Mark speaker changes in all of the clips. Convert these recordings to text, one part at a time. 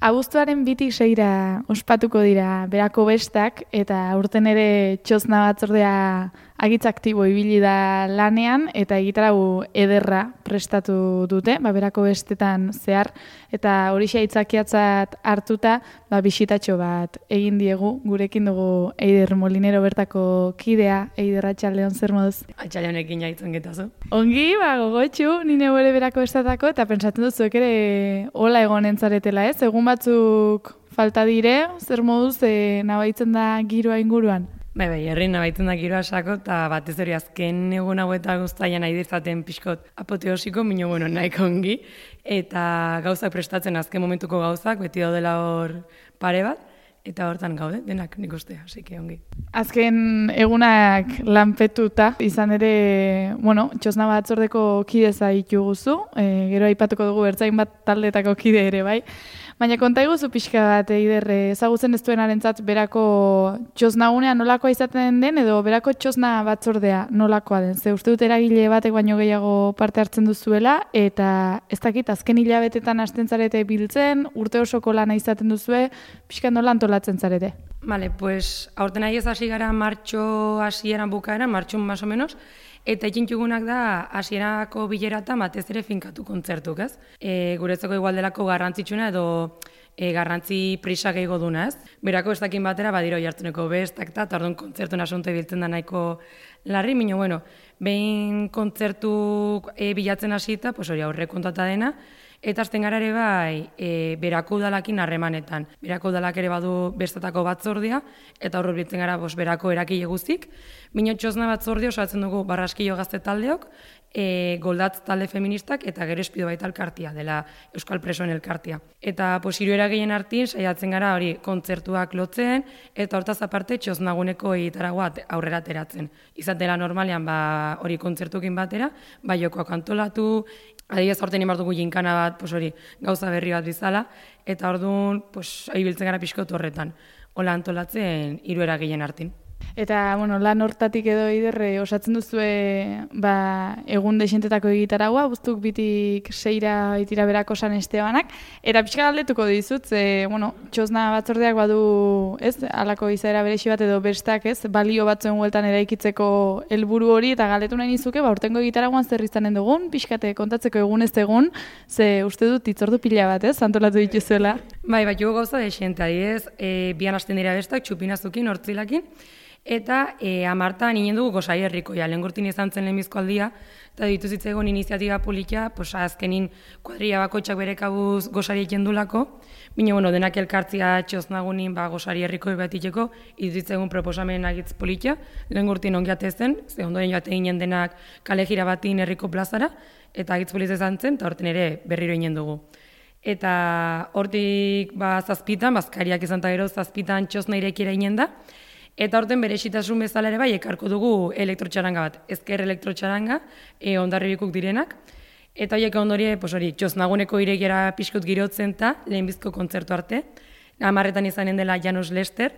Speaker 1: abuztuaren 2-6 ospatuko dira Berako Bestak, eta aurten ere Txosna batzordea agitz aktibo ibili da lanean, eta egitarau ederra prestatu dute, Berako Bestetan zehar, eta horixe aitzakiatzat hartuta, bisitatxo bat egin diegu, gurekin dugu Eider Molinero bertako kidea. Eider, atxaldeon, zer moduz?
Speaker 2: Atxaldeonekin jaitzen getazu.
Speaker 1: Ongi, gogotxu, nine ere Berako Bestatako, eta pentsatzen duzuek ere hola egon entzaretela, ez? Egun batzuk falta dire, zer moduz nabaitzen da giroa inguruan?
Speaker 2: Bai, herri nabaitzen da giroa sako, eta batez hori azken egun hau eta guztaian nahi dirzaten pixkot apoteosiko, minio nahiko ongi, eta gauzak prestatzen azken momentuko gauzak, beti daudela hor pare bat, eta hortan gaude, denak nik uste, hasi ongi.
Speaker 1: Azken egunak lanpetuta, izan ere, Txosna batzordeko kideza dituguzu, gero aipatuko dugu bertzain bat taldetako kide ere, bai. Baina konta iguzu pixka bat, Eider, ezagutzen ez duenarentzat Berako Txosnagunea nolakoa izaten den, edo Berako Txosna batzordea nolakoa den. Ze uste dut eragile batek baino gehiago parte hartzen duzuela, eta ez dakit, azken hilabetetan hasten zarete biltzen, urte osoko lana izaten duzue, pixka nola antolatzen zarete.
Speaker 2: Vale, pues aurten nahi ez hasi gara martxo hasieran bukaeran, martxun más o menos, eta itxintxugunak da hasierako bilera eta batez ere finkatu kontzertuk, ez? Guretzako igual delako garrantzitsuna edo garrantzi prisa gehiago duna, ez? Berako Bestakin batera badiro jartuneko bestak eta orduan kontzertuen asunto biltzen da nahiko larri, minio, behin kontzertuk bilatzen hasita, pues hori aurre kontata dena, eta azten gara ere bai Berako udalakin harremanetan. Berako udalak ere badu bestatako batzordia, eta horro biltzen gara Berako erakile guztik. Mino Txosna batzordia osatzen dugu Barraskilo gazte taldeok, Goldatz talde feministak, eta gero Espido baita elkartia, dela Euskal Presoen elkartia. Eta hiru eragileen artin saiatzen gara hori kontzertuak lotzen, eta hortaz aparte Txosnaguneko egitaragoa aurrera ateratzen. Izatela normalean hori kontzertukin batera, jokoak antolatu, adibidez aurten imar dugu jinkana bat, hori gauza berri bat bizala, eta orduan ibiltzen gara pixkotu horretan, hola antolatzen hiru eragileen artin.
Speaker 1: Eta, lan hortatik edo Eider, osatzen duzue egun desentetako egitaragua, guztuk 2-6 itira Berako San Estebanak, eta pixka galdetuko dizut, Txosna batzordeak badu, ez, halako izaera berexi bat edo bestak, ez, balio batzuen hueltan eraikitzeko helburu hori, eta galdetu nahi nizuke, urtengo egitaragoan zer izanen dugun, pixkate kontatzeko egun ez egun, ze uste dut itzordu pila bat, ez, antolatu dituzuela.
Speaker 2: Bai, jugo gauza desente, adiez, bian hasten dira bestak, txupinazukin, hortzilakin, eta amartan inen dugu Gosari herrikoia, lehengurtin izan zen lehenbizko aldia, eta dituzitzegon iniziatiba politia, azkenin kuadrilla bakoitzak bere kabuz Gosari ekendulako, bine, denak elkartzia Txosnagunin Gosari herrikoi bat itxeko, dituzitzegon proposamen agitz politia, lehengurtin ongiate zen, ze ondoren joate ginen denak kale jira batin herriko plazara, eta agitz politia izan zen, eta horten ere berriro inen dugu. Eta hortik zazpitan, bazkariak izan eta gero zazpitan Txosna irekiera inen da, eta horten berexitasun bezala ere ekarko dugu elektrotxaranga bat, ezker elektrotxaranga, ondarribikuk direnak, eta horiek ondorie, Txosnaguneko irekiera pixkot girotzen eta lehenbizko kontzertu arte, 10 izanen dela Janus Lester,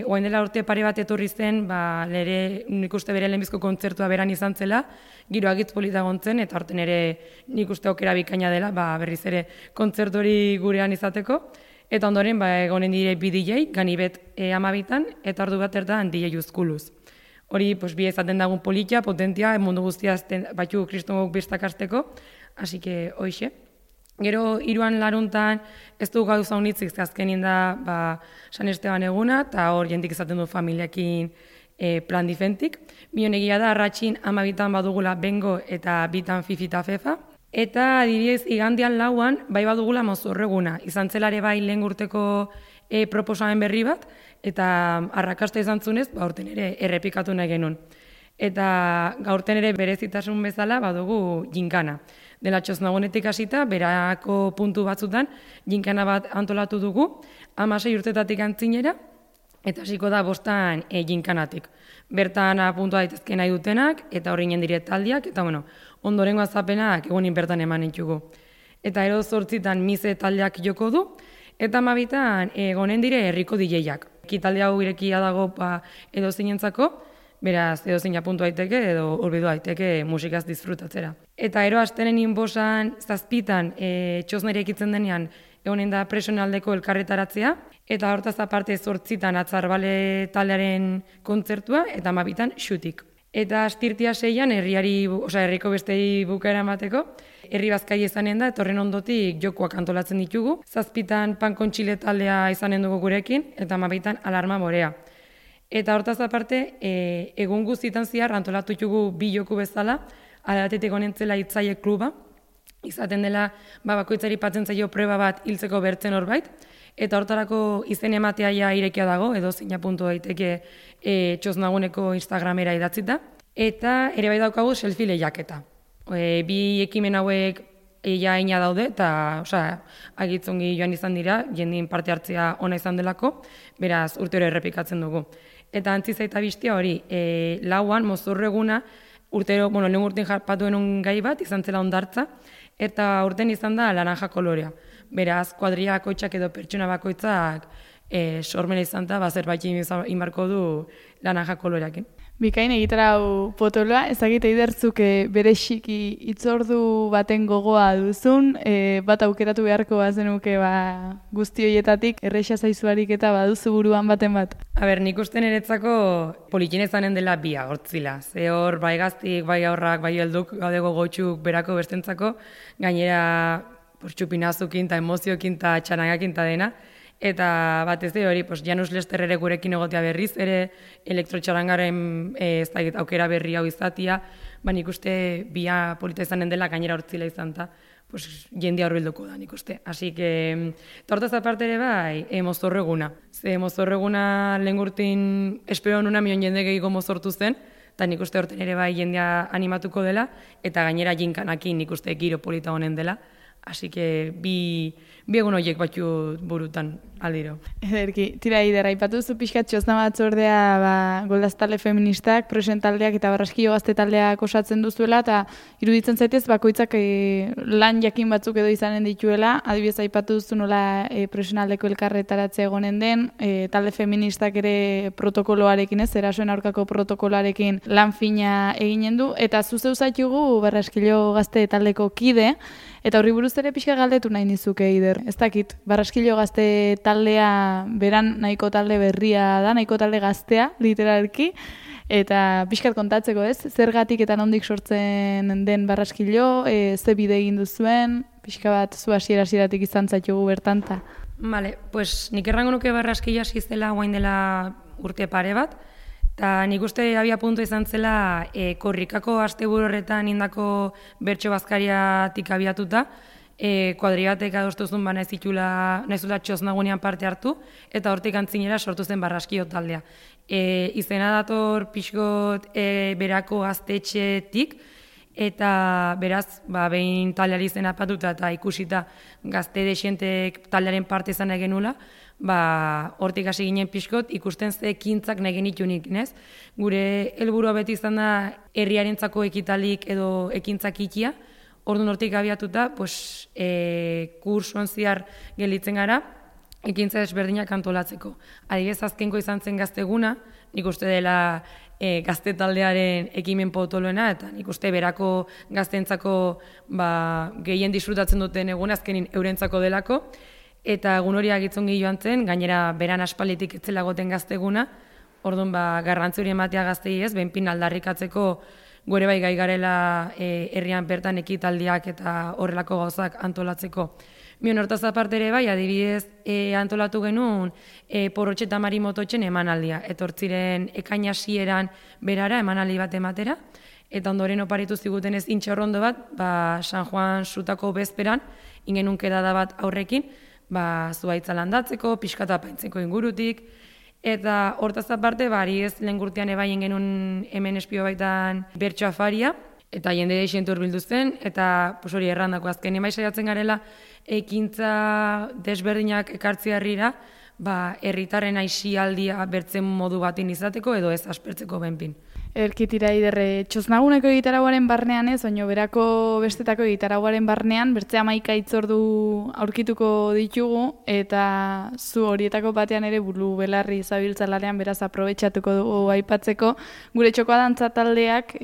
Speaker 2: oain dela urte pare bat etorri zen, nik uste bere lehenbizko kontzertua beran izan zela, giro agitz polita gontzen, eta horten ere nik uste okera bikaina dela, berriz ere kontzertu hori gurean izateko, eta ondoren, egonen dire bi DJ, Ganibet 12, eta ordu bat erdan DJ Uzkuluz. Hori, bi ezaten dagun politia, potentia, mundu guztia batxu kristongok bestak hasteko, hasi que hoxe. Gero, 3 laruntan, ez du gauza honitzik, azkenin da San Esteban eguna, eta hor jentik izaten du familiakin plan difentik. Bion egia da, arratxin 12 badugula bengo eta 2 fifi eta fefa. Eta adibidez, igandian 4 badugula mozorreguna. Izan zelare lehen urteko proposamen berri bat, eta arrakasta izan zunez, aurten ere errepikatu nahi genuen. Eta gaurten ere berezitasun bezala badugu jinkana. Dela Txosnagunetik hasita, Berako puntu batzutan, jinkana bat antolatu dugu, 16 urtetatik antzinera, eta hasiko da 5 jinkanatik. Bertan puntua daitezke nahi dutenak, eta hori nien dire taldiak, eta ondorengo azapenak egunin bertan eman entzugu. Eta ero 8 mize taldeak joko du, eta 12 egonen dire herriko DJak. Kitalde hau irekia dago edo zinentzako, beraz edo zein apuntu daiteke edo urbidu daiteke musikaz disfrutatzera. Eta ero astenen inbosan 7 Txosna irekitzen denean egonen da presionaldeko elkarretaratzea, eta hortaz aparte 8 atzarbale taldearen kontzertua, eta 12 xutik. Eta astirtia 6 herriko bestei bukaera emateko, herri bazkai izanen da, eta horren ondotik jokoak antolatzen ditugu. 7 pankontxile taldea izanen dugu gurekin, eta 12 alarma morea. Eta hortaz aparte, egun guztietan zehar antolatu ditugu 2 joku bezala, alatetik honentzela Hitzaile kluba, izaten dela bakoitzari patzen zaio preba bat hiltzeko bertzen horbait, eta hortarako izen ematea ja irekia dago, edo zeina puntu daiteke Txosnaguneko Instagramera idatzita, eta ere bai daukagu selfie lehiaketa. 2 ekimen hauek ina daude, eta agitzongi joan izan dira, jendien parte hartzea ona izan delako, beraz urtero errepikatzen dugu. Eta antzi zaita biztia hori, 4 mozorro eguna, urtero, lehen urtean jarpatu denun gai bat, izan zela hondartza, eta urten izan da laranja kolorea. Beraz, kuadria bakoitzak edo pertsona bakoitzak sormena izan da, zerbait inbarko du laranja koloreakin.
Speaker 1: Bikain egitarau potoloa, ezagite idertzuk berexiki hitzordu baten gogoa duzun, bat aukeratu beharko bazenuke guzti horietatik, erreixa zaizuarik eta baduzu buruan baten bat.
Speaker 2: Nik uste niretzako politien izanen dela bia, hortzila. Ze hor, bai gaztik, bai aurrak, bai helduk, gaudego gotxuk berako bestentzako, gainera txupinazukin eta emoziokin eta txanagakin eta dena. Eta batez hori, Janus Lester ere gurekin egotea berriz, ere elektrotxarangaren aukera berri hau izatia, nik uste bia polita izanen dela gainera hortzila izan eta jendia horbilduko da nik uste. Así que, tortaz aparte ere bai, mozorro eguna. Ze mozorro eguna lehen gurtin espero nuna mion jende gehiago mozortu zen, eta nik uste horten ere bai jendia animatuko dela, eta gainera jinkanakin nik uste giro polita honen dela. Así que bi egun horiek batzu burutan aldiro.
Speaker 1: Ederki, tira idera, ipatu zu pixkat Txosna batzordea goldaztale feministak, prosen taldeak eta Barraskilo Gazte taldeak osatzen duzuela, eta iruditzen zaitez bakoitzak lan jakin batzuk edo izanen dituela, adibidez aipatu duzu nola profesionaldeko elkarretaratzea egonen den, talde feministak ere protokoloarekin erasoen aurkako protokoloarekin lan fina eginen du, eta zuzeu zaitugu Barraskilo Gazte taldeko kide, eta horri buruz ere pixka galdetu nahi nizuke Ider. Ez dakit, Barraskilo Gazte taldea beran nahiko talde berria da, nahiko talde gaztea, literalki, eta pixkat kontatzeko ez, zergatik eta nondik sortzen den Barraskilo, ze bide egin duzuen, pixka bat zu hasieratik izan zaitugu bertanta.
Speaker 2: Vale, nik errango nuke Barraskilo hasi zela guain dela urte pare bat, eta nik uste abia puntu izan zela korrikako asteburu horretan indako bertso bazkariatik abiatuta, kuadribatek adostuzun naizula Txosnagunean parte hartu, eta hortik antzinera sortu zen Barraskilo taldea. Izena dator pixkot berako gaztetxetik, eta beraz, behin taldeari izena patuta eta ikusita gazte desientek taldearen parte izan egenula, hortik hasi ginen pixkot ikusten ze ekintzak nahi genitunik, nez? Gure helburua beti izan da herriarentzako ekitalik edo ekintzak ikia, orduan hortik abiatuta, kursuan zehar gelditzen gara, ekintza desberdinak antolatzeko. Adibidez, azkenko izan zen gazteguna, nik uste dela gazte taldearen ekimen potoloena, eta nik uste berako gaztentzako gehien disfrutatzen duten egun azkenin eurentzako delako, eta egun hori agitzongi joan zen, gainera beran aspalditik etzela goten gazteguna, orduan garrantzi hori ematea gaztei ez, benpin aldarrikatzeko gore bai gai garela herrian bertan ekitaldiak eta horrelako gauzak antolatzeko. Mion hortaz aparte ere bai, adibidez antolatu genuen Porrotxe eta Mari Mototxen emanaldia. Etortziren ekain hasieran berara emanaldi bat ematera, eta ondoren oparitu ziguten ez intxorrondo bat, San Juan sutako bezperan, ingenun kedada bat aurrekin, zuhaitza landatzeko, pixkata paintzeko ingurutik, eta hortaz aparte, ez lehen gurtean ebaien genuen hemen espio baitan bertso afaria, eta jende desientu urbildu zen, eta hori errandako azken emai saiatzen garela, ekintza desberdinak ekartzea herrira, herritarren aisialdia bertzen modu batin izateko edo ez aspertzeko benpin.
Speaker 1: Erkitira iderre, Txosnaguneko egitarauaren barnean ez, baina berako bestetako egitarauaren barnean, bertze 11 hitzordu aurkituko ditugu, eta zu horietako batean ere buru belarri zabiltzalarean beraz aprobetxatuko dugu aipatzeko. Gure txokoa dantza taldeak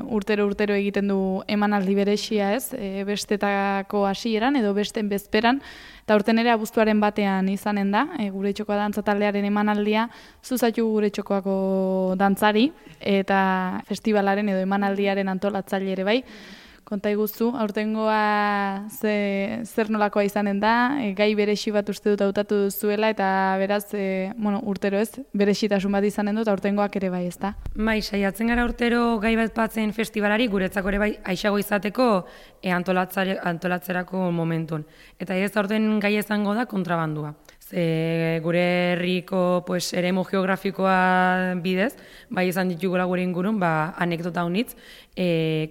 Speaker 1: urtero egiten du emanaldi berexia ez, bestetako hasieran edo besten bezperan, Eta urten ere abuztuaren batean izanen da, gure txokoa dantza taldearen emanaldia, zuzatu gure txokoako dantzari, eta festivalaren edo emanaldiaren antolatzaile ere bai. Konta iguzu, aurtengoa zer nolakoa izanen da, gai beresi bat uste dut hautatu duzuela, eta beraz, urtero ez, berexitasun bat izanen dut, aurtengoak ere bai, ez da?
Speaker 2: Bai, saiatzen gara urtero gai bat batzen festivalari, guretzako ere bai, aixago izateko antolatzerako momentun. Eta ez aurten gai izango da kontrabandua. Gure herriko eremu geografikoa bidez, bai izan ditugula gure ingurun, anekdota honitz,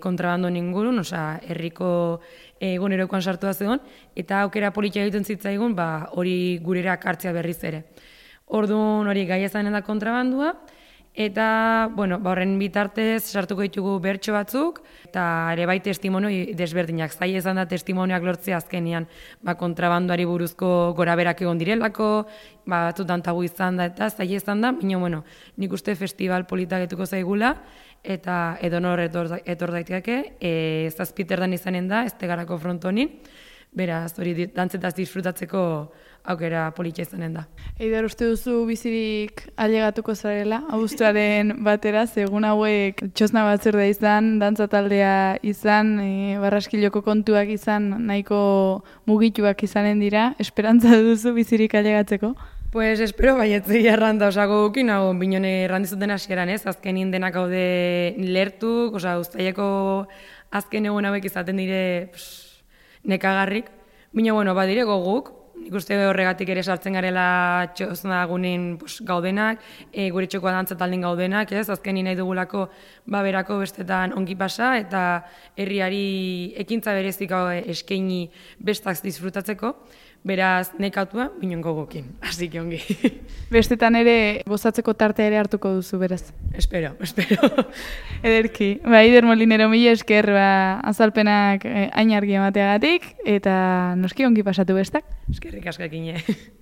Speaker 2: kontrabandoen ingurun, herriko egunerokoan sartu da zegoen, eta aukera politia egiten zitzaigun, hori gurera kartzea berriz ere. Orduan hori gai izanen da kontrabandua, eta, horren bitartez sartuko ditugu bertso batzuk, eta ere bai testimonio desberdinak. Zaila izan da testimonioak lortzea azkenean kontrabandoari buruzko goraberak egon direlako, batzutan tabu izan da, eta zaila izan da, baina, nik uste festival politak etuko zaigula, eta edonor etor daiteke, zazpiterdan izanen da, ez tegarako frontonin, beraz, hori dantzetaz disfrutatzeko aukera politia izanen da.
Speaker 1: Eider, uste duzu bizirik ailegatuko zarela, abuztuaren batera, egun hauek txosna batzordea izan, dantza taldea izan, barraskiloko kontuak izan, nahiko mugituak izanen dira, esperantza duzu bizirik ailegatzeko?
Speaker 2: Pues espero baietzi erranda, osago gukin, hau binone errandizuten hasieran ez, azkenin denak haude lertuk, uztaileko azken egun hauek izaten dire nekagarrik, baina badire goguk, nik uste horregatik ere sartzen garela txosna gunin gaudenak, gure txokoa dantza taldin gaudenak, ez, azkenin nahi dugulako berako bestetan ongi pasa, eta herriari ekintza berezik eskaini bestak disfrutatzeko, beraz nekautua, binen gogokin, hasi ongi.
Speaker 1: Bestetan ere gozatzeko tartea ere hartuko duzu, beraz.
Speaker 2: Espero.
Speaker 1: Ederki, Eider Molinero, mila esker azalpenak hain argi emateagatik, eta noski ongi pasatu bestak.
Speaker 2: Eskerrik askakine.